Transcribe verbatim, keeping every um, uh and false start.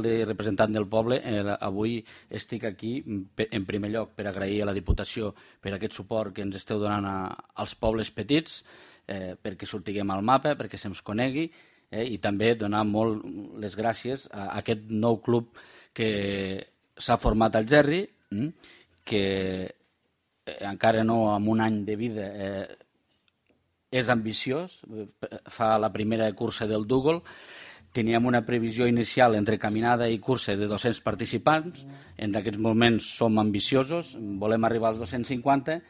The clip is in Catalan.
de representant del poble, eh, avui estic aquí en primer lloc per agrair a la Diputació per aquest suport que ens esteu donant a, als pobles petits, eh, perquè sortiguem al mapa, perquè se'ns conegui, eh, i també donar molt les gràcies a aquest nou club que s'ha format al Gerri, eh, que eh, encara no amb un any de vida eh, és ambiciós, fa la primera cursa del Dougal. Teníem una previsió inicial entre caminada i cursa de dos-cents participants. En aquests moments som ambiciosos, volem arribar als dos-cents cinquanta